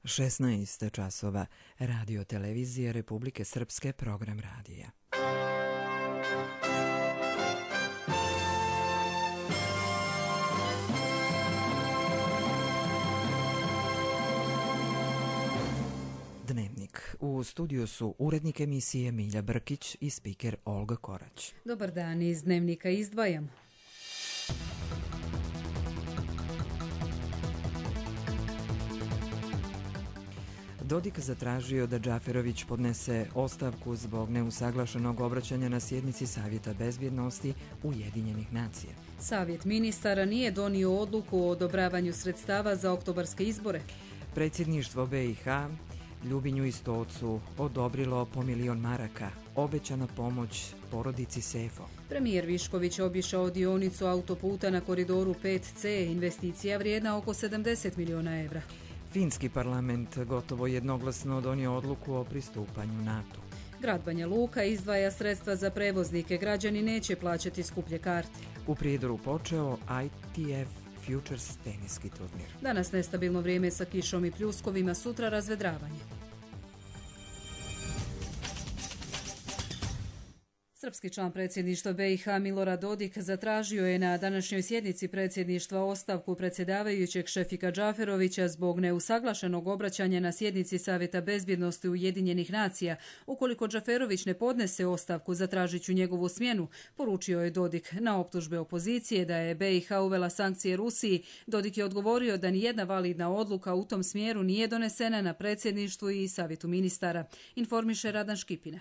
16 časova, Radio Televizije Republike Srpske, program radija. Dnevnik. U studiju su urednik emisije Milja Brkić i spiker Olga Korać. Dobar dan, iz Dnevnika izdvajam. Dodik zatražio da Džaferović podnese ostavku zbog neusaglašenog obraćanja na sjednici Savjeta bezbjednosti Ujedinjenih nacija. Savjet ministara nije donio odluku o odobravanju sredstava za oktobarske izbore. Predsjedništvo BiH Ljubinju i Stocu odobrilo po 1 milion maraka, obećana pomoć porodici Sefo. Premijer Višković obišao dionicu autoputa na koridoru 5C, investicija vrijedna oko 70 miliona evra. Finski parlament gotovo jednoglasno donio odluku o pristupanju NATO. Grad Banja Luka izdvaja sredstva za prevoznike, građani neće plaćati skuplje karte. U Prijedoru počeo ITF Futures teniski turnir. Danas nestabilno vrijeme sa kišom i pljuskovima, sutra razvedravanje. Srpski član predsjedništva BiH Milorad Dodik zatražio je na današnjoj sjednici predsjedništva ostavku predsjedavajućeg Šefika Džaferovića zbog neusaglašenog obraćanja na sjednici Savjeta bezbjednosti Ujedinjenih nacija. Ukoliko Džaferović ne podnese ostavku, zatražit ću njegovu smjenu, poručio je Dodik. Na optužbe opozicije da je BiH uvela sankcije Rusiji, Dodik je odgovorio da nijedna validna odluka u tom smjeru nije donesena na predsjedništvu i Savjetu ministara, informiše Radan Škipina.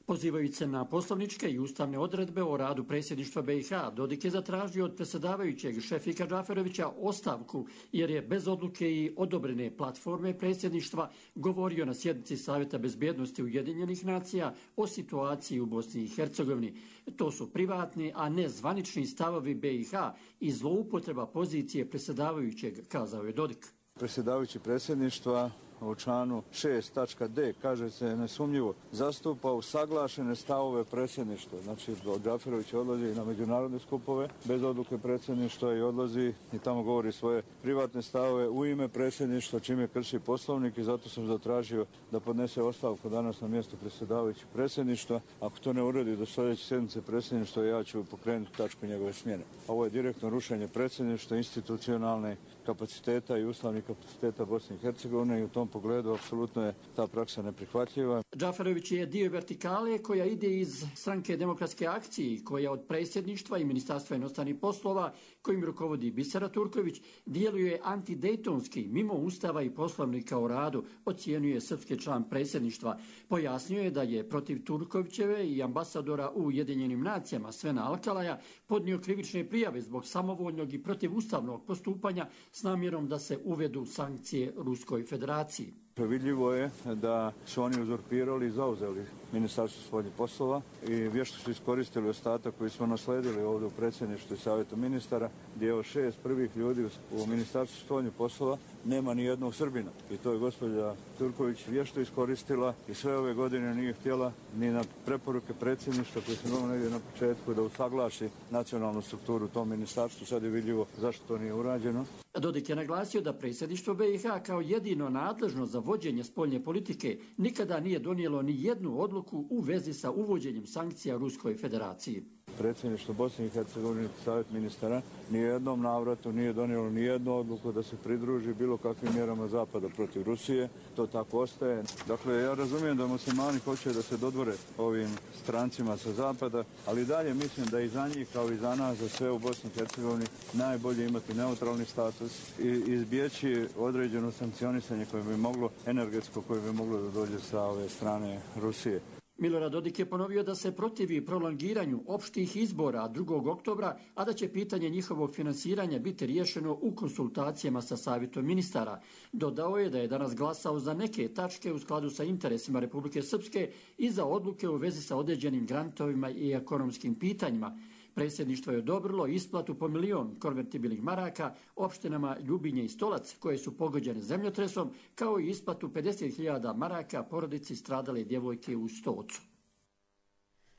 Pozivajući se na poslovničke i ustavne odredbe o radu predsjedništva BiH, Dodik je zatražio od predsjedavajućeg Šefika Džaferovića ostavku jer je bez odluke i odobrene platforme predsjedništva govorio na sjednici Savjeta bezbjednosti Ujedinjenih nacija o situaciji u Bosni i Hercegovini. To su privatni, a ne zvanični stavovi BiH i zloupotreba pozicije predsjedavajućeg, kazao je Dodik. Predsjedavajući predsjedništva u članu 6.d kaže se nesumnjivo zastupa usaglašene stavove predsjedništva. Znači, Džaferović odlazi na međunarodne skupove bez odluke predsjedništva i odlazi i tamo govori svoje privatne stavove u ime predsjedništva, čime krši poslovnik, i zato sam zatražio da podnese ostavku danas na mjesto predsjedavajućeg predsjedništva. Ako to ne uredi do sljedeće sjednice predsjedništva, ja ću pokrenuti tačku njegove smjene. Ovo je direktno rušenje predsjedništva, institucionalne kapaciteta i ustavnih kapaciteta Bosne i Hercegovine i u tom pogledu apsolutno je ta praksa neprihvatljiva. Džaferović je dio vertikale koja ide iz Stranke demokratske akcije, koja od predsjedništva i Ministarstva inostranih poslova, kojim rukovodi Bisera Turković, djeluje antidejtonski, mimo ustava i poslovnika o radu, ocijenjuje srpski član predsjedništva. Pojasnio je da je protiv Turkovićeve i ambasadora u Ujedinjenim nacijama Svena Alkalaja podnio krivične prijave zbog samovoljnog i protivustavnog postupanja s namjerom da se uvedu sankcije Ruskoj federaciji. Vidljivo je da su oni uzurpirali i zauzeli Ministarstvo spoljnih poslova i vješto su iskoristili ostatak koji smo nasledili ovdje u predsjedništvu i Savjetu ministara, gdje od 6 prvih ljudi u Ministarstvu spoljnih poslova nema ni jednog Srbina. I to je gospođa Turković vješto iskoristila i sve ove godine nije htjela ni na preporuke predsjedništva koji smo imali negdje na početku da usaglaši nacionalnu strukturu u tom ministarstvu. Sad je vidljivo zašto to nije urađeno. Dodik je naglasio da predsjedništvo BiH kao jedino nadležno za vođenje spoljne politike nikada nije donijelo ni jednu odluku u vezi sa uvođenjem sankcija Ruskoj federaciji. Predsjedništvo Bosne i Hercegovine, Savjet ministara, nijednom navratu nije donijelo nijednu odluku da se pridruži bilo kakvim mjerama Zapada protiv Rusije. To tako ostaje. Dakle, ja razumijem da muslimani hoće da se dodvore ovim strancima sa Zapada, ali dalje mislim da i za njih, kao i za nas, za sve u Bosni i Hercegovini, najbolje imati neutralni status i izbjeći određeno sankcionisanje koje bi moglo, energetsko koje bi moglo da dođe sa ove strane Rusije. Milorad Dodik je ponovio da se protivi prolongiranju opštih izbora 2. oktobra, a da će pitanje njihovog finansiranja biti riješeno u konsultacijama sa Savjetom ministara. Dodao je da je danas glasao za neke tačke u skladu sa interesima Republike Srpske i za odluke u vezi sa određenim grantovima i ekonomskim pitanjima. Predsjedništvo je odobrilo isplatu po 1 milion konvertibilnih maraka opštinama Ljubinje i Stolac koje su pogođene zemljotresom, kao i isplatu 50.000 maraka porodici stradale djevojke u Stocu.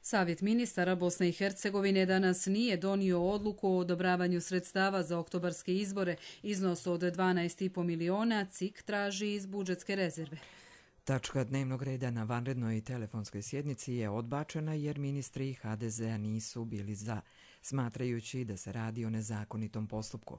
Savjet ministara Bosne i Hercegovine danas nije donio odluku o odobravanju sredstava za oktobarske izbore. Iznos od 12,5 miliona CIK traži iz budžetske rezerve. Tačka dnevnog reda na vanrednoj telefonskoj sjednici je odbačena jer ministri HDZ-a nisu bili za, smatrajući da se radi o nezakonitom postupku.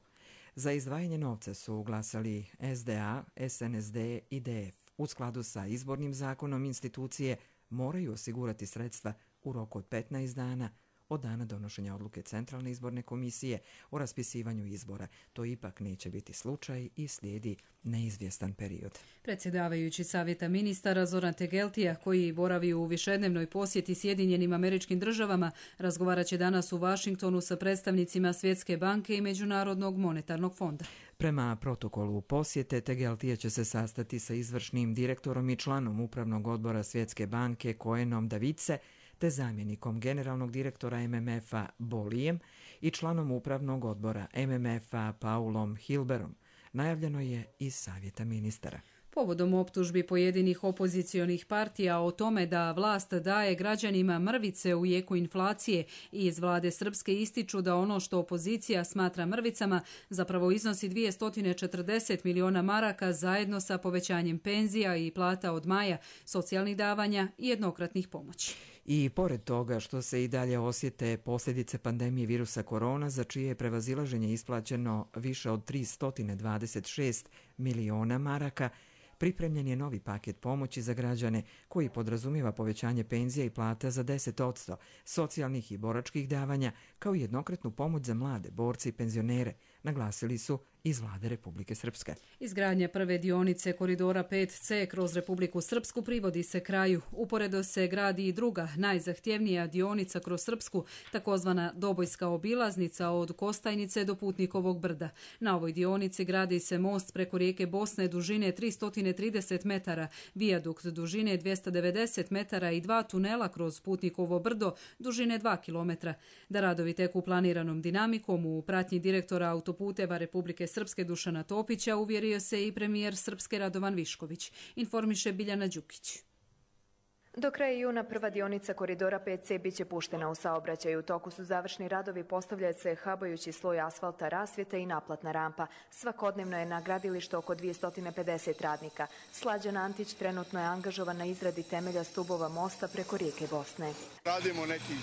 Za izdvajanje novca su glasali SDA, SNSD i DF. U skladu sa izbornim zakonom institucije moraju osigurati sredstva u roku od 15 dana od dana donošenja odluke Centralne izborne komisije o raspisivanju izbora. To ipak neće biti slučaj i slijedi neizvjestan period. Predsjedavajući Savjeta ministara Zoran Tegeltija, koji boravi u višednevnoj posjeti Sjedinjenim Američkim Državama, razgovarat će danas u Vašingtonu sa predstavnicima Svjetske banke i Međunarodnog monetarnog fonda. Prema protokolu posjete, Tegeltija će se sastati sa izvršnim direktorom i članom Upravnog odbora Svjetske banke Koenom Davice, te zamjenikom generalnog direktora MMF-a Bolijem i članom Upravnog odbora MMF-a Paulom Hilberom. Najavljeno je iz Savjeta ministara. Povodom optužbi pojedinih opozicionih partija o tome da vlast daje građanima mrvice u jeku inflacije i iz vlade Srpske ističu da ono što opozicija smatra mrvicama zapravo iznosi 240 miliona maraka zajedno sa povećanjem penzija i plata od maja, socijalnih davanja i jednokratnih pomoći. I pored toga što se i dalje osjete posljedice pandemije virusa korona, za čije je prevazilaženje isplaćeno više od 326 miliona maraka, pripremljen je novi paket pomoći za građane koji podrazumijeva povećanje penzija i plata za 10%, socijalnih i boračkih davanja, kao i jednokratnu pomoć za mlade, borce i penzionere, naglasili su iz vlade Republike Srpske. Izgradnja prve dionice koridora 5C kroz Republiku Srpsku privodi se kraju. Uporedo se gradi i druga, najzahtjevnija dionica kroz Srpsku, takozvana Dobojska obilaznica od Kostajnice do Putnikovog brda. Na ovoj dionici gradi se most preko rijeke Bosne dužine 330 metara, vijadukt dužine 290 metara i 2 tunela kroz Putnikovo brdo dužine 2 km. Da radovi teku planiranom dinamikom u pratnji direktora autoputeva Republike Srpske Dušana Topića uvjerio se i premijer Srpske Radovan Višković, informiše Biljana Đukić. Do kraja juna prva dionica koridora 5C biće puštena u saobraćaj. U toku su završni radovi, postavlja se habajući sloj asfalta, rasvjeta i naplatna rampa. Svakodnevno je na gradilištu oko 250 radnika. Slađan Antić trenutno je angažovan na izradi temelja stubova mosta preko rijeke Bosne. Radimo nekih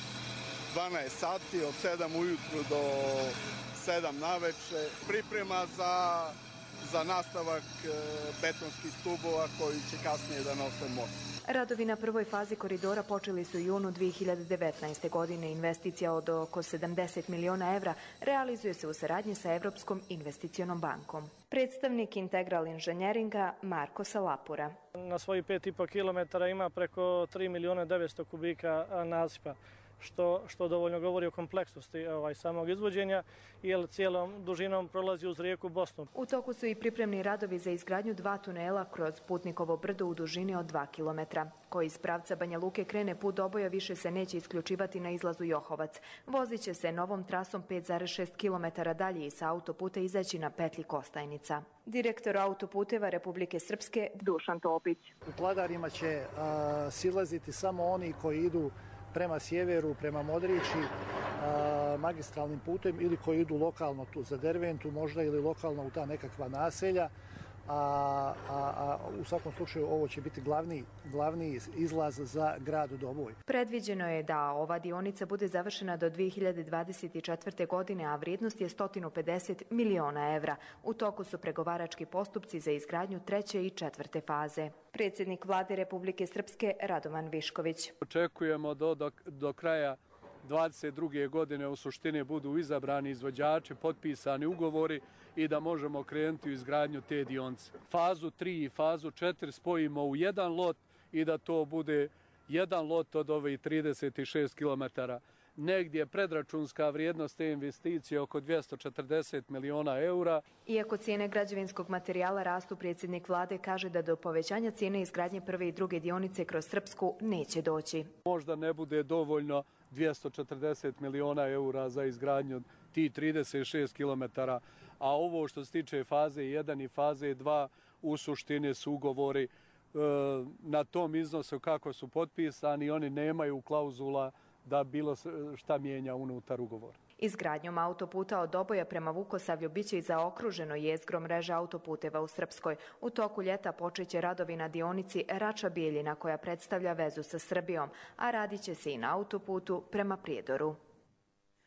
12 sati od 7 ujutru do 7 naveče. Priprema za nastavak betonskih stubova koji će kasnije da nose most. Radovi na prvoj fazi koridora počeli su u junu 2019. godine. Investicija od oko 70 miliona evra realizuje se u saradnji sa Evropskom investicionom bankom. Predstavnik Integral inženjeringa Marko Salapura. Na svojih 5,5 km ima preko 3 miliona 900 kubika nasipa, što dovoljno govori o kompleksnosti samog izvođenja, jer cijelom dužinom prolazi uz rijeku Bosnu. U toku su i pripremni radovi za izgradnju 2 tunela kroz Putnikovo brdo u dužini od 2 km. Koji iz pravca Banja Luke krene put Doboja više se neće isključivati na izlazu Johovac. Vozit će se novom trasom 5,6 km dalje i sa autoputa izaći na petlji Kostajnica. Direktor autoputeva Republike Srpske Dušan Topić. U Kladarima će silaziti samo oni koji idu prema sjeveru, prema Modrići, magistralnim putem ili koji idu lokalno tu za Derventu možda ili lokalno u ta nekakva naselja. U svakom slučaju ovo će biti glavni izlaz za grad Doboj. Predviđeno je da ova dionica bude završena do 2024. godine, a vrijednost je 150 miliona evra. U toku su pregovarački postupci za izgradnju 3. i 4. faze. Predsjednik vlade Republike Srpske Radovan Višković. Očekujemo do kraja 2022. godine u suštini budu izabrani izvođači, potpisani ugovori i da možemo krenuti u izgradnju te dionice. Fazu 3 i fazu 4 spojimo u jedan lot i da to bude jedan lot od ovih 36 km. Negdje predračunska vrijednost te investicije oko 240 miliona eura. Iako cijene građevinskog materijala rastu, predsjednik vlade kaže da do povećanja cijene izgradnje prve i druge dionice kroz Srpsku neće doći. Možda ne bude dovoljno 240 miliona eura za izgradnju ti 36 km, a ovo što se tiče faze 1 i faze 2 u suštini su ugovori na tom iznosu kako su potpisani, oni nemaju klauzula da bilo šta mijenja unutar ugovora. Izgradnjom autoputa od Doboja prema Vukosavlju biće i zaokruženo jezgro mreže autoputeva u Srpskoj. U toku ljeta počeće radovi na dionici Rača-Bijeljina koja predstavlja vezu sa Srbijom, a radit će se i na autoputu prema Prijedoru.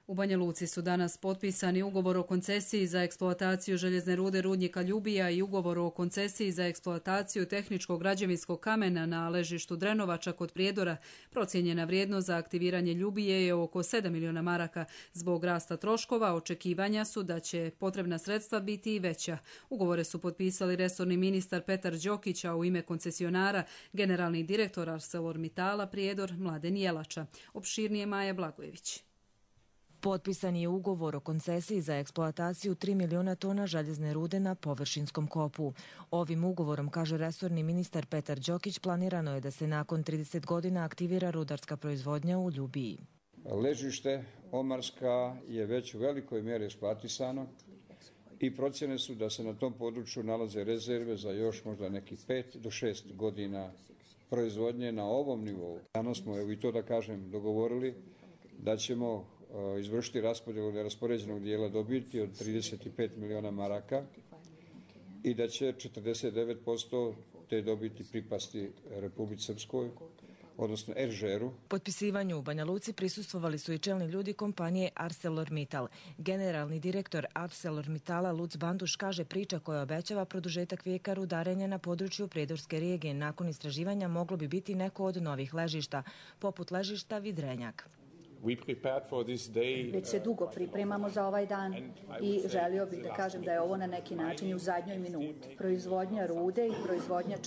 U Banja Luci su danas potpisani ugovor o koncesiji za eksploataciju željezne rude rudnika Ljubija i ugovor o koncesiji za eksploataciju tehničkog građevinskog kamena na ležištu Drenovača kod Prijedora. Procijenjena vrijednost za aktiviranje Ljubije je oko 7 miliona maraka. Zbog rasta troškova očekivanja su da će potrebna sredstva biti i veća. Ugovore su potpisali resorni ministar Petar Đokić, a u ime koncesionara generalni direktor ArcelorMittala Prijedor Mladen Jelača. Opširnije Maja Blagojević. Potpisan je ugovor o koncesiji za eksploataciju 3 miliona tona željezne rude na površinskom kopu. Ovim ugovorom, kaže resorni ministar Petar Đokić, planirano je da se nakon 30 godina aktivira rudarska proizvodnja u Ljubiji. Ležište Omarska je već u velikoj mjeri eksploatisano i procjene su da se na tom području nalaze rezerve za još možda nekih 5 do 6 godina proizvodnje na ovom nivou. Danas smo, evo i to da kažem, dogovorili da ćemo izvršiti raspodjelu neraspoređenog dijela dobiti od 35 miliona maraka i da će 49% te dobiti pripasti Republici Srpskoj, odnosno RŽR-u. Potpisivanju u Banja Luci prisustvovali su i čelni ljudi kompanije ArcelorMittal. Generalni direktor ArcelorMittala Luc Banduš kaže priča koja obećava produžetak vijeka rudarenja na području Prijedorske regije nakon istraživanja moglo bi biti neko od novih ležišta, poput ležišta Vidrenjak. Već se dugo pripremamo za ovaj dan i želio bih da kažem da je ovo na neki način u zadnjoj minuti. Proizvodnja rude i proizvodnja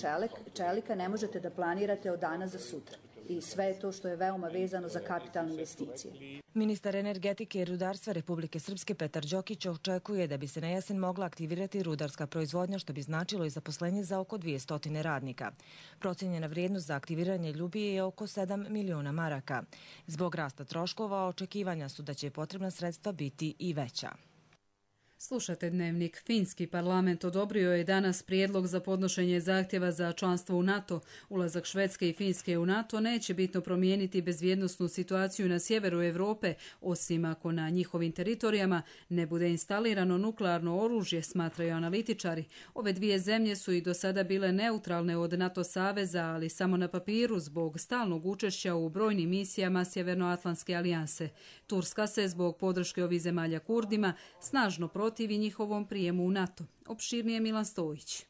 čelika ne možete da planirate od dana za sutra. I sve je to što je veoma vezano za kapitalne investicije. Ministar energetike i rudarstva Republike Srpske Petar Đokić očekuje da bi se na jesen mogla aktivirati rudarska proizvodnja, što bi značilo i zaposlenje za oko 200 radnika. Procijenjena vrijednost za aktiviranje Ljubije je oko 7 miliona maraka. Zbog rasta troškova očekivanja su da će potrebna sredstva biti i veća. Slušate Dnevnik. Finski parlament odobrio je danas prijedlog za podnošenje zahtjeva za članstvo u NATO. Ulazak Švedske i Finske u NATO neće bitno promijeniti bezbjednosnu situaciju na sjeveru Europe, osim ako na njihovim teritorijama ne bude instalirano nuklearno oružje, smatraju analitičari. Ove dvije zemlje su i do sada bile neutralne od NATO saveza, ali samo na papiru zbog stalnog učešća u brojnim misijama Sjevernoatlantske alijanse. Turska se zbog podrške ovih zemalja Kurdima snažno protivi njihovom prijemu u NATO. Opširnije Milan Stojić.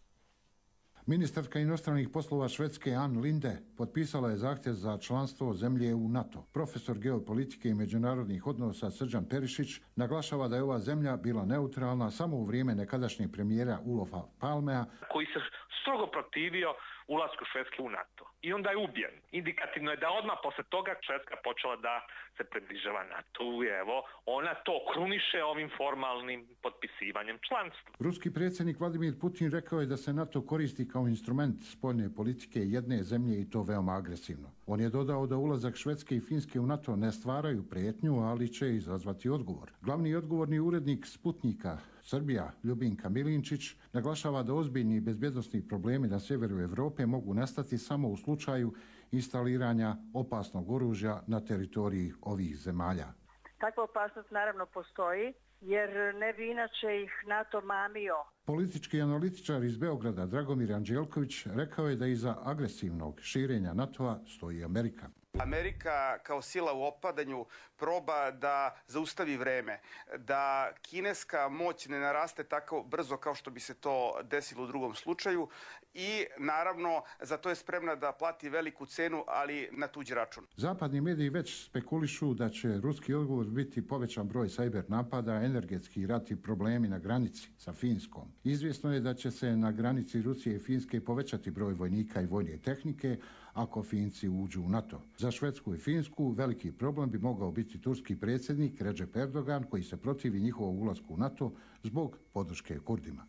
Ministarka inostranih poslova Švedske Ann Linde potpisala je zahtjev za članstvo zemlje u NATO. Profesor geopolitike i međunarodnih odnosa Srđan Perišić naglašava da je ova zemlja bila neutralna samo u vrijeme nekadašnjeg premijera Olofa Palmea, koji se strogo protivio ulasku Švedske u NATO. I onda je ubijen. Indikativno je da odmah posle toga Švedska počela da se približava NATO. I evo, ona to kruniše ovim formalnim potpisivanjem članstva. Ruski predsjednik Vladimir Putin rekao je da se NATO koristi kao instrument spoljne politike jedne zemlje i to veoma agresivno. On je dodao da ulazak Švedske i Finske u NATO ne stvaraju prijetnju, ali će izazvati odgovor. Glavni odgovorni urednik Sputnika Srbija Ljubinka Milinčić naglašava da ozbiljni bezbjednosni problemi na sjeveru Europe mogu nastati samo u slučaju instaliranja opasnog oružja na teritoriji ovih zemalja. Takva opasnost naravno postoji, jer ne bi inače ih NATO mamio. Politički analitičar iz Beograda Dragomir Anđelković rekao je da iza agresivnog širenja NATO-a stoji Amerika. Amerika kao sila u opadanju proba da zaustavi vreme, da kineska moć ne naraste tako brzo kao što bi se to desilo u drugom slučaju i naravno za to je spremna da plati veliku cenu, ali na tuđi račun. Zapadni mediji već spekulišu da će ruski odgovor biti povećan broj sajber napada, energetski rat i problemi na granici sa Finskom. Izvjesno je da će se na granici Rusije i Finske povećati broj vojnika i vojne tehnike ako Finci uđu u NATO. Za Švedsku i Finsku veliki problem bi mogao biti turski predsjednik Recep Erdogan, koji se protivi njihovom ulasku u NATO zbog podrške Kurdima.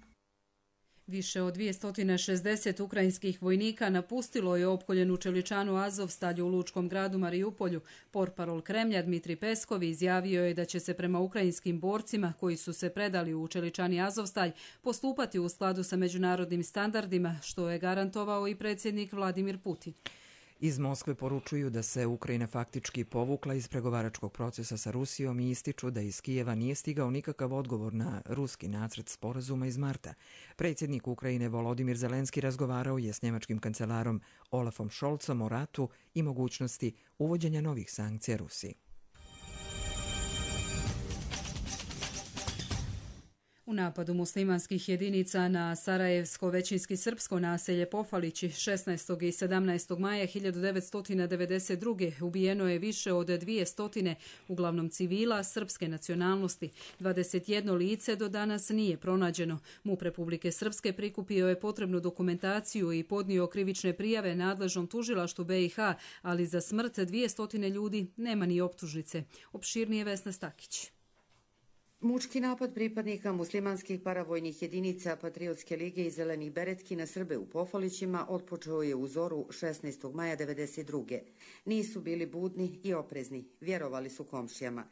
Više od 260 ukrajinskih vojnika napustilo je opkoljenu čeličanu Azovstalju u lučkom gradu Marijupolju. Portparol Kremlja Dmitri Peskov izjavio je da će se prema ukrajinskim borcima koji su se predali u čeličani Azovstalj postupati u skladu sa međunarodnim standardima, što je garantovao i predsjednik Vladimir Putin. Iz Moskve poručuju da se Ukrajina faktički povukla iz pregovaračkog procesa sa Rusijom i ističu da iz Kijeva nije stigao nikakav odgovor na ruski nacrt sporazuma iz marta. Predsjednik Ukrajine Volodimir Zelenski razgovarao je s njemačkim kancelarom Olafom Scholzom o ratu i mogućnosti uvođenja novih sankcija Rusiji. U napadu muslimanskih jedinica na sarajevsko većinski srpsko naselje Pofalići 16. i 17. maja 1992. ubijeno je više od 200, uglavnom civila srpske nacionalnosti. 21 lice do danas nije pronađeno. MUP Republike Srpske prikupio je potrebnu dokumentaciju i podnio krivične prijave nadležnom tužilaštvu BiH, ali za smrt 200 ljudi nema ni optužnice. Opširnije Vesna Stakić. Mučki napad pripadnika muslimanskih paravojnih jedinica Patriotske lige i Zelenih beretki na Srbe u Pofalićima otpočeo je u zoru 16. maja 1992. Nisu bili budni i oprezni, vjerovali su komšijama.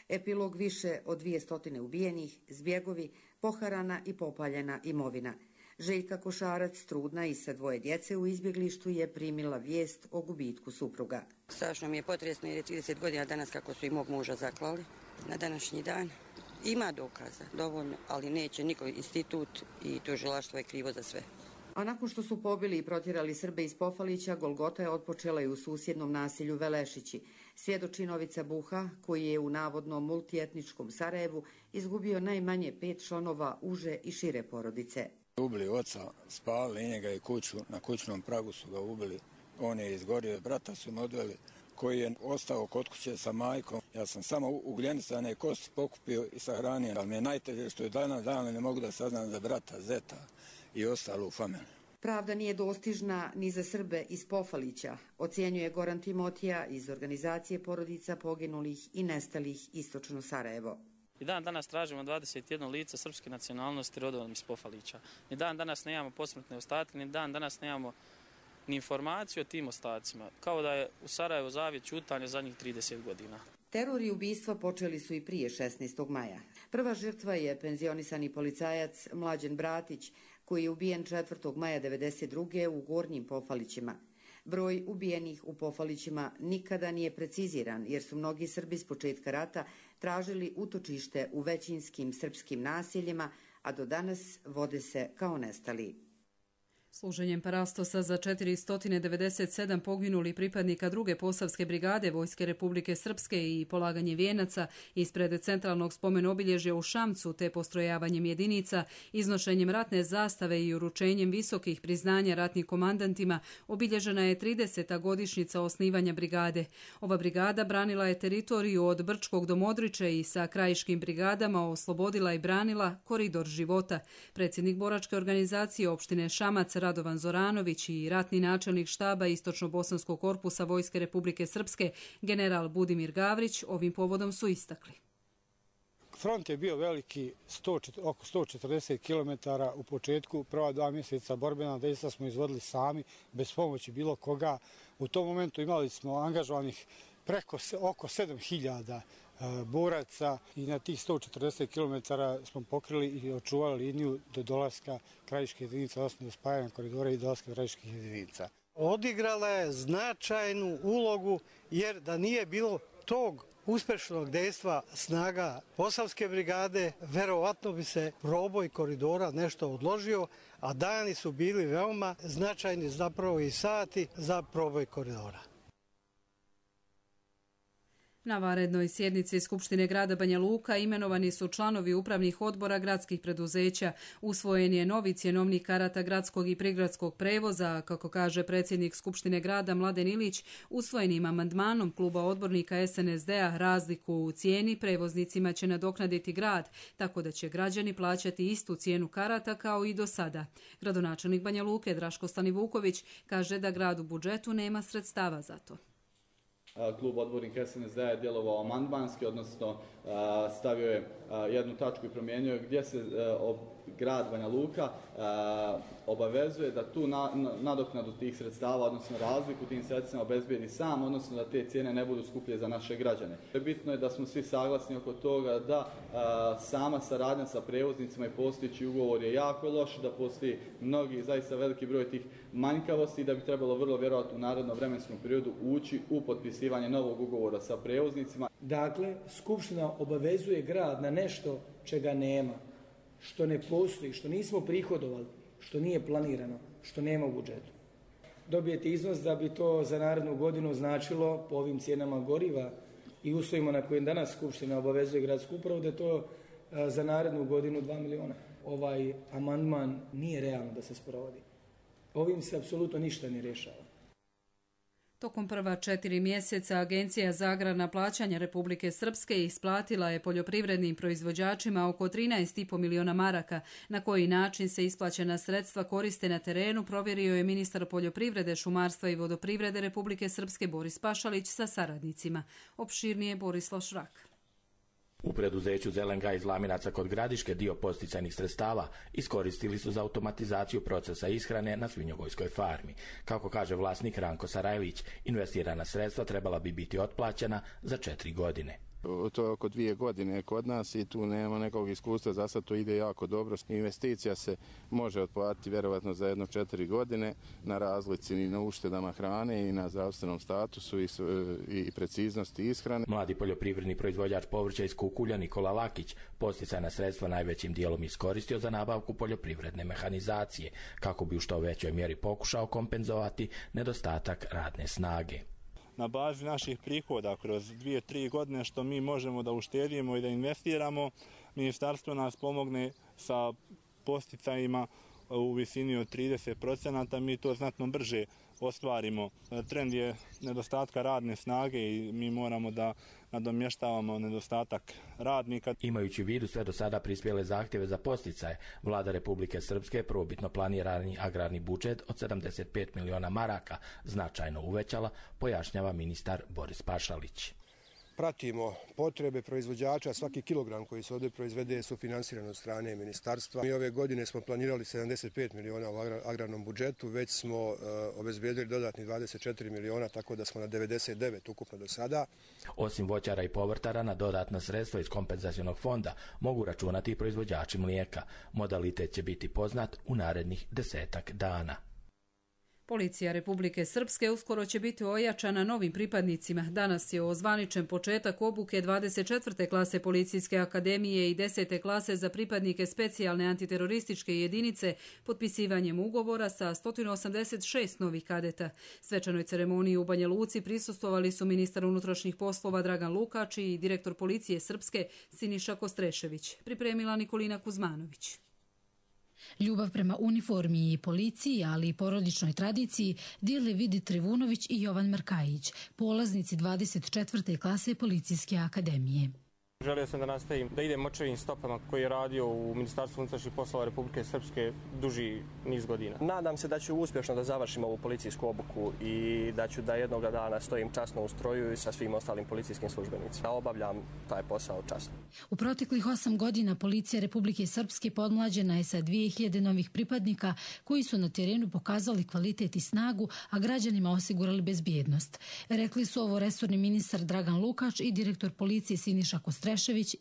Epilog više od 200 ubijenih, zbjegovi, poharana i popaljena imovina. Željka Košarac, trudna i sa 2 djece u izbjeglištu, je primila vijest o gubitku supruga. Strašno mi je potresno jer je 30 godina danas kako su i mog muža zaklali na današnji dan. Ima dokaza, dovoljno, ali neće niko institut i tužilaštvo je krivo za sve. A nakon što su pobili i protjerali Srbe iz Pofalića, Golgota je otpočela i u susjednom naselju Velešići. Svjedoči Novica Buha, koji je u navodnom multietničkom Sarajevu izgubio najmanje 5 članova uže i šire porodice. Ubili oca, spalili njega i kuću, na kućnom pragu su ga ubili. On je izgorio, brata su mu odveli, koji je ostao kod kuće sa majkom. Ja sam samo ugljenicane kosti pokupio i sahranio, ali mi je najteže što je dana ne mogu da saznam za brata, zeta i ostalo u familiji. Pravda nije dostižna ni za Srbe iz Pofalića, ocjenjuje Goran Timotija iz organizacije porodica poginulih i nestalih Istočno Sarajevo. I dan danas tražimo 21 lice srpske nacionalnosti rodom iz Pofalića. Ni dan danas nemamo posmrtne ostatke, ni dan danas nemamo ni informaciju o tim ostacima, kao da je u Sarajevu zavjet ćutanja zadnjih 30 godina. Teror i ubistva počeli su i prije 16. maja. Prva žrtva je penzionisani policajac Mlađen Bratić, koji je ubijen 4. maja 1992. u Gornjim Pofalićima. Broj ubijenih u Pofalićima nikada nije preciziran, jer su mnogi Srbi s početka rata tražili utočište u većinskim srpskim naseljima, a do danas vode se kao nestali. Služenjem parastosa za 497 poginuli pripadnika 2. Posavske brigade Vojske Republike Srpske i polaganje vijenaca ispred centralnog spomen obilježja u Šamcu te postrojavanjem jedinica, iznošenjem ratne zastave i uručenjem visokih priznanja ratnim komandantima obilježena je 30. godišnjica osnivanja brigade. Ova brigada branila je teritoriju od Brčkog do Modriče i sa krajiškim brigadama oslobodila i branila koridor života. Predsjednik boračke organizacije opštine Šamac Radovan Zoranović i ratni načelnik štaba Istočno-bosanskog korpusa Vojske Republike Srpske, general Budimir Gavrić, ovim povodom su istakli. Front je bio veliki, oko 140 km u početku. Prva 2 mjeseca borbena dejstva smo izvodili sami, bez pomoći bilo koga. U tom momentu imali smo angažovanih oko 7000 boraca i na tih 140 km smo pokrili i očuvali liniju do dolaska krajiške jedinice, odnosno do spajanja koridora i dolaska krajiških jedinica. Odigrala je značajnu ulogu, jer da nije bilo tog uspešnog dejstva snaga Posavske brigade, verovatno bi se proboj koridora nešto odložio, a dani su bili veoma značajni, zapravo i sati za proboj koridora. Na vanrednoj sjednici Skupštine grada Banja Luka imenovani su članovi upravnih odbora gradskih preduzeća. Usvojen je novi cjenovnik karata gradskog i prigradskog prevoza, kako kaže predsjednik Skupštine grada Mladen Ilić. Usvojenim amandmanom kluba odbornika SNSD-a razliku u cijeni prevoznicima će nadoknaditi grad, tako da će građani plaćati istu cijenu karata kao i do sada. Gradonačelnik Banja Luke Draško Stanivuković kaže da grad u budžetu nema sredstava za to. Klub odbornika SNSD je djelovao amandmanski, odnosno stavio je jednu tačku i promijenio gdje se grad Banja Luka obavezuje da tu nadoknadu tih sredstava, odnosno razliku tim sredstvima obezbijedi sam, odnosno da te cijene ne budu skuplje za naše građane. Bitno je da smo svi saglasni oko toga da sama saradnja sa prevoznicima i postojeći ugovor je jako loš, da postoji mnogi, zaista veliki broj tih manjkavosti i da bi trebalo vrlo vjerojatno u narednom vremenskom periodu ući u potpisivanje novog ugovora sa prevoznicima. Dakle, Skupština obavezuje grad na nešto čega nema, što ne postoji, što nismo prihodovali, što nije planirano, što nema u budžetu. Dobijete iznos da bi to za narednu godinu značilo po ovim cijenama goriva i uslovima na kojim danas Skupština obavezuje gradsku upravu da je to za narednu godinu 2 miliona. Ovaj amandman nije realno da se sprovodi. Ovim se apsolutno ništa ne rješava. Tokom prva 4 mjeseca Agencija za agrarna plaćanja Republike Srpske isplatila je poljoprivrednim proizvođačima oko 13,5 miliona maraka. Na koji način se isplaćena sredstva koriste na terenu, provjerio je ministar poljoprivrede, šumarstva i vodoprivrede Republike Srpske Boris Pašalić sa saradnicima. Opširnije Borislav Šrak. U preduzeću Zelenga iz Laminaca kod Gradiške dio posticajnih sredstava iskoristili su za automatizaciju procesa ishrane na svinjogojskoj farmi. Kako kaže vlasnik Ranko Sarajlić, investirana sredstva trebala bi biti otplaćena za 4 godine. To je oko 2 godine kod nas i tu nema nekog iskustva, za sad to ide jako dobro. Investicija se može otplatiti vjerovatno za 4 godine na razlici i na uštedama hrane i na zdravstvenom statusu i preciznosti ishrane. Mladi poljoprivredni proizvođač povrća iz Kukulja Nikola Lakić posticajna sredstva najvećim dijelom iskoristio za nabavku poljoprivredne mehanizacije, kako bi u što većoj mjeri pokušao kompenzovati nedostatak radne snage. Na bazi naših prihoda kroz 2-3 godine što mi možemo da uštedimo i da investiramo, ministarstvo nas pomogne sa posticajima u visini od 30%, mi to znatno brže ostvarimo. Trend je nedostatka radne snage i mi moramo da nadomještavamo nedostatak radnika. Imajući u vidu sve do sada prispjele zahtjeve za posticaje, Vlada Republike Srpske prvobitno planirani agrarni budžet od 75 miliona maraka značajno uvećala, pojašnjava ministar Boris Pašalić. Pratimo potrebe proizvođača, svaki kilogram koji se ovdje proizvede su finansirani od strane ministarstva. Mi ove godine smo planirali 75 miliona u agrarnom budžetu, već smo obezbijedili dodatni 24 miliona, tako da smo na 99 ukupno do sada. Osim voćara i povrtara, na dodatna sredstva iz kompenzacionog fonda mogu računati i proizvođači mlijeka. Modalitet će biti poznat u narednih 10 dana. Policija Republike Srpske uskoro će biti ojačana novim pripadnicima. Danas je ozvaničen početak obuke 24. klase Policijske akademije i 10. klase za pripadnike specijalne antiterorističke jedinice potpisivanjem ugovora sa 186 novih kadeta. Svečanoj ceremoniji u Banja Luci prisustvovali su ministar unutrašnjih poslova Dragan Lukač i direktor Policije Srpske Siniša Kostrešević. Pripremila Nikolina Kuzmanović. Ljubav prema uniformi i policiji, ali i porodičnoj tradiciji dijele Vidi Trivunović i Jovan Markajić, polaznici 24. klase Policijske akademije. Želio sam da nastavim, da idem očevim stopama koji je radio u Ministarstvu unutrašnjih poslova Republike Srpske duži niz godina. Nadam se da ću uspješno da završim ovu policijsku obuku i da ću da jednoga dana stojim časno u stroju i sa svim ostalim policijskim službenicima. Obavljam taj posao časno. U proteklih 8 godina Policija Republike Srpske podmlađena je sa 2000 novih pripadnika koji su na terenu pokazali kvalitet i snagu, a građanima osigurali bezbjednost. Rekli su ovo resorni ministar Dragan Lukač i direktor policije Siniša Kostrešević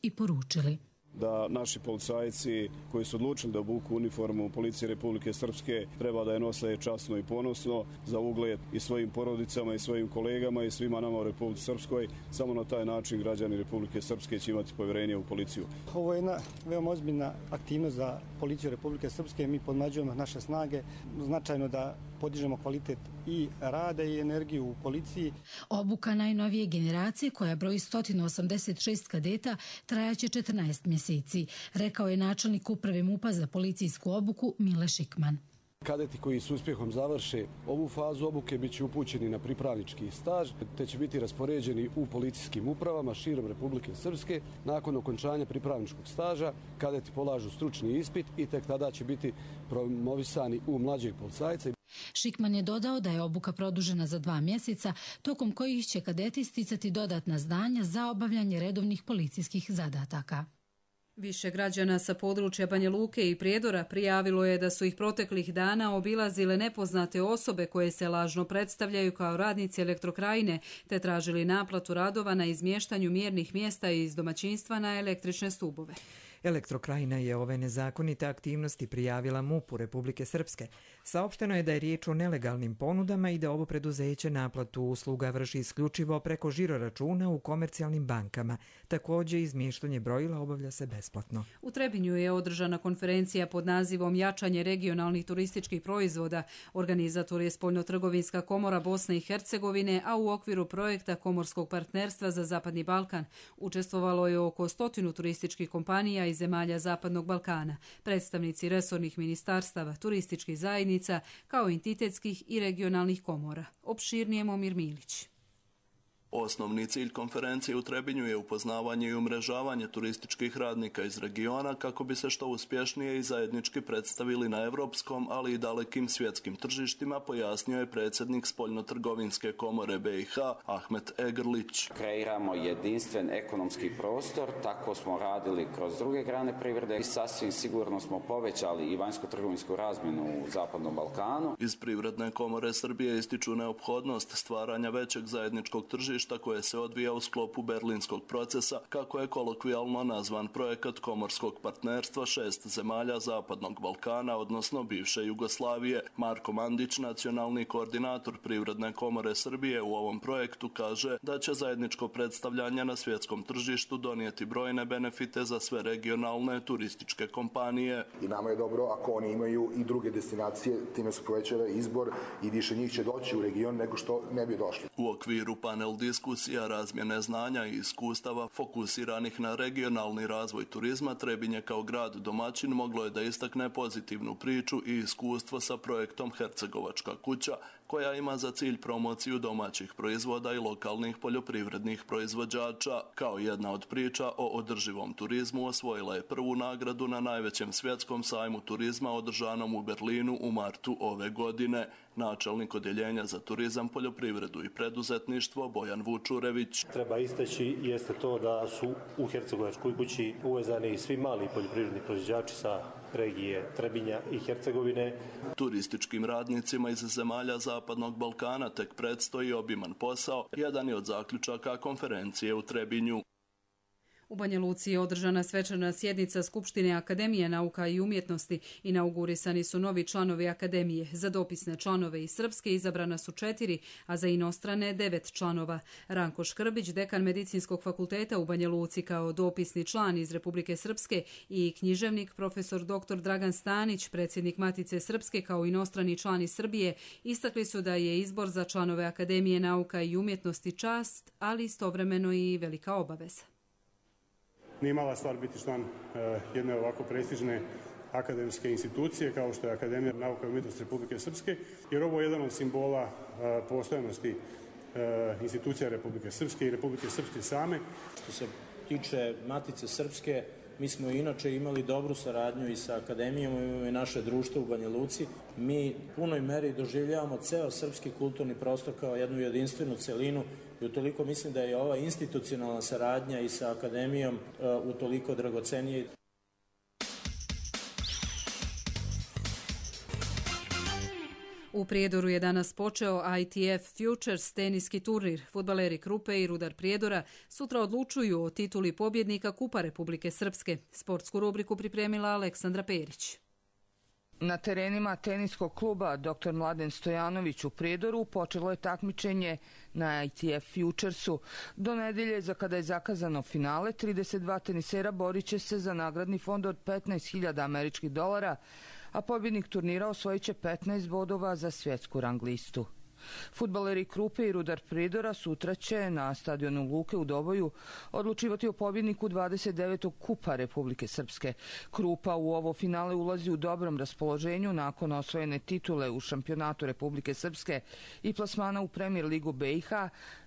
i poručili da naši policajci koji su odlučili da obuku uniformu Policije Republike Srpske treba da je nose časno i ponosno za ugled i svojim porodicama i svojim kolegama i svima nama u Republici Srpskoj. Samo na taj način građani Republike Srpske će imati povjerenje u policiju. Ovo je jedna veoma ozbiljna aktivnost za Policiju Republike Srpske. Mi podmlađujemo naše snage, značajno da podižemo kvalitet i rada i energiju u policiji. Obuka najnovije generacije, koja broji 186 kadeta, trajaće 14 mjeseci, rekao je načelnik uprave MUP-a za policijsku obuku Mile Šikman. Kadeti koji s uspjehom završe ovu fazu obuke bit će upućeni na pripravnički staž, te će biti raspoređeni u policijskim upravama širom Republike Srpske. Nakon okončanja pripravničkog staža kadeti polažu stručni ispit i tek tada će biti promovisani u mlađeg policajca. Šikman je dodao da je obuka produžena za 2 mjeseca, tokom kojih će kadeti sticati dodatna znanja za obavljanje redovnih policijskih zadataka. Više građana sa područja Banja Luke i Prijedora prijavilo je da su ih proteklih dana obilazile nepoznate osobe koje se lažno predstavljaju kao radnici Elektrokrajine te tražili naplatu radova na izmještanju mjernih mjesta iz domaćinstva na električne stubove. Elektrokrajina je ove nezakonite aktivnosti prijavila MUP-u Republike Srpske. Saopšteno je da je riječ o nelegalnim ponudama i da ovo preduzeće naplatu usluga vrši isključivo preko žiroračuna u komercijalnim bankama. Također, izmještanje brojila obavlja se besplatno. U Trebinju je održana konferencija pod nazivom Jačanje regionalnih turističkih proizvoda. Organizator je Spoljnotrgovinska komora Bosne i Hercegovine, a u okviru projekta Komorskog partnerstva za Zapadni Balkan učestvovalo je oko 100 turističkih kompanija iz zemalja Zapadnog Balkana, predstavnici resornih ministarstava, turističkih zajednica, kao entitetskih i regionalnih komora. Opširnije Momir Milić. Osnovni cilj konferencije u Trebinju je upoznavanje i umrežavanje turističkih radnika iz regiona kako bi se što uspješnije i zajednički predstavili na evropskom, ali i dalekim svjetskim tržištima, pojasnio je predsjednik Spoljnotrgovinske komore BiH Ahmet Egrlić. Kreiramo jedinstven ekonomski prostor, tako smo radili kroz druge grane privrede i sasvim sigurno smo povećali i vanjsko-trgovinsku razmjenu u Zapadnom Balkanu. Iz Privredne komore Srbije ističu neophodnost stvaranja većeg zajedničkog tržišta koje se odvija u sklopu berlinskog procesa, kako je kolokvijalno nazvan projekat Komorskog partnerstva 6 zemalja Zapadnog Balkana, odnosno bivše Jugoslavije. Marko Mandić, nacionalni koordinator Privredne komore Srbije u ovom projektu, kaže da će zajedničko predstavljanje na svjetskom tržištu donijeti brojne benefite za sve regionalne turističke kompanije. I nama je dobro ako oni imaju i druge destinacije, time se povećava izbor i više njih će doći u region nego što ne bi došli. U okviru panel diskusija, razmjene znanja i iskustava fokusiranih na regionalni razvoj turizma, Trebinje kao grad domaćin moglo je da istakne pozitivnu priču i iskustvo sa projektom Hercegovačka kuća, koja ima za cilj promociju domaćih proizvoda i lokalnih poljoprivrednih proizvođača. Kao jedna od priča o održivom turizmu osvojila je prvu nagradu na najvećem svjetskom sajmu turizma održanom u Berlinu u martu ove godine. Načelnik odjeljenja za turizam, poljoprivredu i preduzetništvo Bojan Vučurević. Treba istaći jeste to da su u Hercegovačkoj kući uvezani svi mali poljoprivredni proizvođači sa regije Trebinja i Hercegovine. Turističkim radnicima iz zemalja Zapadnog Balkana tek predstoji obiman posao, jedan je od zaključaka konferencije u Trebinju. U Banja Luci je održana svečana sjednica Skupštine Akademije nauka i umjetnosti. Inaugurisani su novi članovi Akademije. Za dopisne članove iz Srpske izabrana su 4, a za inostrane 9 članova. Ranko Škrbić, dekan Medicinskog fakulteta u Banja Luci, kao dopisni član iz Republike Srpske, i književnik profesor dr. Dragan Stanić, predsjednik Matice Srpske, kao inostrani član iz Srbije, istakli su da je izbor za članove Akademije nauka i umjetnosti čast, ali istovremeno i velika obaveza. Nije mala stvar biti član jedne ovako prestižne akademske institucije kao što je Akademija nauka i umjetnosti Republike Srpske, jer ovo je jedan od simbola postojanosti institucija Republike Srpske i Republike Srpske same. Što se tiče Matice Srpske, mi smo inače imali dobru saradnju i sa Akademijom i naše društvo u Banja Luci. Mi u punoj meri doživljavamo ceo srpski kulturni prostor kao jednu jedinstvenu celinu i utoliko mislim da je ova institucionalna saradnja i sa Akademijom utoliko dragocenije. U Prijedoru je danas počeo ITF Futures teniski turnir. Fudbaleri Krupe i Rudar Prijedora sutra odlučuju o tituli pobjednika Kupa Republike Srpske. Sportsku rubriku pripremila Aleksandra Perić. Na terenima teniskog kluba Dr. Mladen Stojanović u Prijedoru počelo je takmičenje na ITF Futuresu. Do nedelje, za kada je zakazano finale, 32 tenisera borit će se za nagradni fond od $15.000 američkih, a pobjednik turnira osvojit će 15 bodova za svjetsku rang listu. Fudbaleri Krupe i Rudar Prijedora sutra će na stadionu Luke u Doboju odlučivati o pobjedniku 29. Kupa Republike Srpske. Krupa u ovo finale ulazi u dobrom raspoloženju nakon osvojene titule u šampionatu Republike Srpske i plasmana u Premier ligu BiH,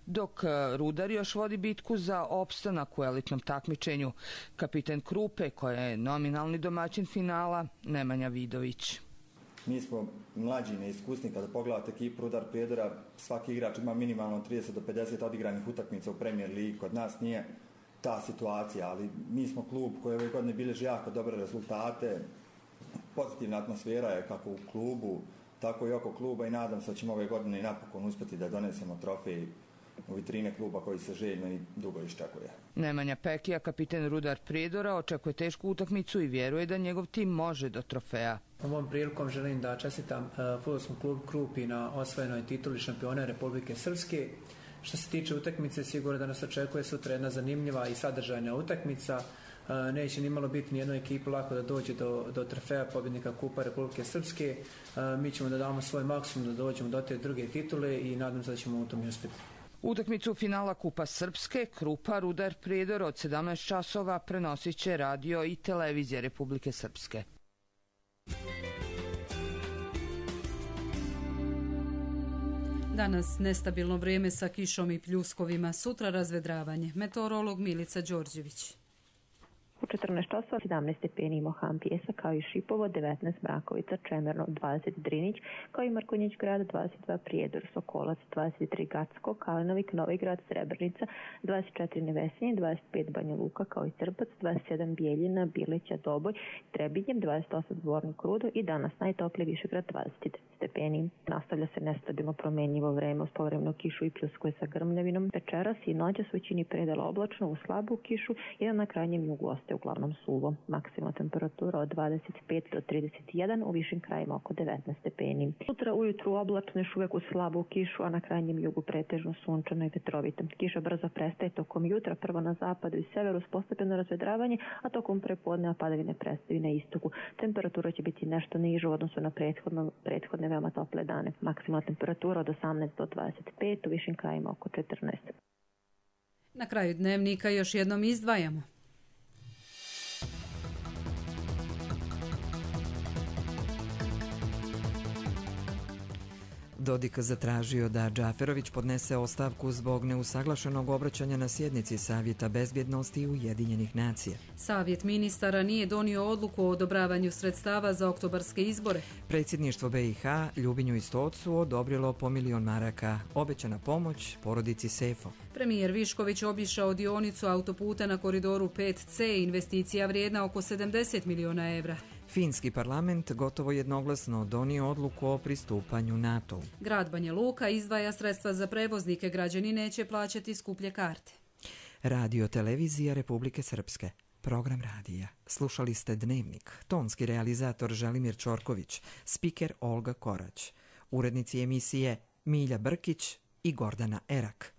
dok Rudar još vodi bitku za opstanak u elitnom takmičenju. Kapiten Krupe, koja je nominalni domaćin finala, Nemanja Vidović. Mi smo mlađi, neiskusni, kada pogledate ekipu Rudar Prijedora, svaki igrač ima minimalno 30 do 50 odigranih utakmica u Premier Ligi. Kod nas nije ta situacija, ali mi smo klub koji ove godine bilježi jako dobre rezultate. Pozitivna atmosfera je kako u klubu, tako i oko kluba i nadam se da ćemo ove godine i napokon uspjeti da donesemo trofej u vitrine kluba koji se željno i dugo iščekuje. Nemanja Pekija, kapiten Rudar Prijedora, očekuje tešku utakmicu i vjeruje da njegov tim može do trofeja. Ovom prilikom želim da čestitam fudbalskom klubu Krupi na osvojenoj tituli šampiona Republike Srpske. Što se tiče utakmice, sigurno da nas očekuje sutra jedna zanimljiva i sadržajna utakmica. Neće ni malo biti nijednoj ekipi lako da dođe do trofeja pobjednika Kupa Republike Srpske. Mi ćemo da damo svoj maksimum da dođemo do te druge titule i nadam se da ćemo u tom i uspjeti. Utakmicu finala Kupa Srpske, Krupa Rudar Prijedor od 17 časova prenosit će radio i televizija Republike Srpske. Danas nestabilno vrijeme sa kišom i pljuskovima, sutra razvedravanje. Meteorolog Milica Đorđević. U 14 časova 17 stepeni Mohan Pjesak, kao i Šipovo, 19 Mrakovica, Čemerno 20 Drinić, kao i Markonjić grad 22 Prijedor, Sokolac 23 Gacko, Kalinovik, Novi grad, Srebrenica 24 Nevesinje, 25 Banja Luka, kao i Trpac, 27 Bijeljina, Bileća, Doboj, Trebinjem, 28 Zvornik Rudo i danas najtopliji Višegrad 29 stepeni. Nastavlja se nestabilno promjenjivo vreme uz povremenu kišu i pljuskove sa grmljavinom. Večeras i noćas u većini predela oblačno uz slabu kišu i na krajnjem jugu ostaje uglavnom suvo. Maksimalna temperatura od 25 do 31, u višim krajima oko 19 stepeni. Sutra ujutru oblačno još uvijek uz slabu kišu, a na krajnjem jugu pretežno sunčano i vetrovito. Kiša brzo prestaje tokom jutra, prvo na zapadu i severu s postepeno razvedravanje, a tokom prepodneva padavine prestaju na istoku. Temperatura će biti nešto niža u odnosu na prethodne veoma tople dane. Maksimalna temperatura od 18 do 25, u višim krajima oko 14. Na kraju dnevnika još jednom izdvajamo. Dodik zatražio da Džaferović podnese ostavku zbog neusaglašenog obraćanja na sjednici Savjeta bezbjednosti Ujedinjenih nacija. Savjet ministara nije donio odluku o odobravanju sredstava za oktobarske izbore. Predsjedništvo BiH Ljubinju i Stocu odobrilo po 1 milion maraka. Obećana pomoć porodici Sefo. Premijer Višković obišao dionicu autoputa na koridoru 5C, investicija vrijedna oko 70 miliona evra. Finski parlament gotovo jednoglasno donio odluku o pristupanju NATO-u. Grad Banja Luka izdvaja sredstva za prevoznike, građani neće plaćati skuplje karte. Radio televizija Republike Srpske. Program radija. Slušali ste Dnevnik. Tonski realizator Želimir Čorković. Spiker Olga Korać. Urednici emisije Milja Brkić i Gordana Erak.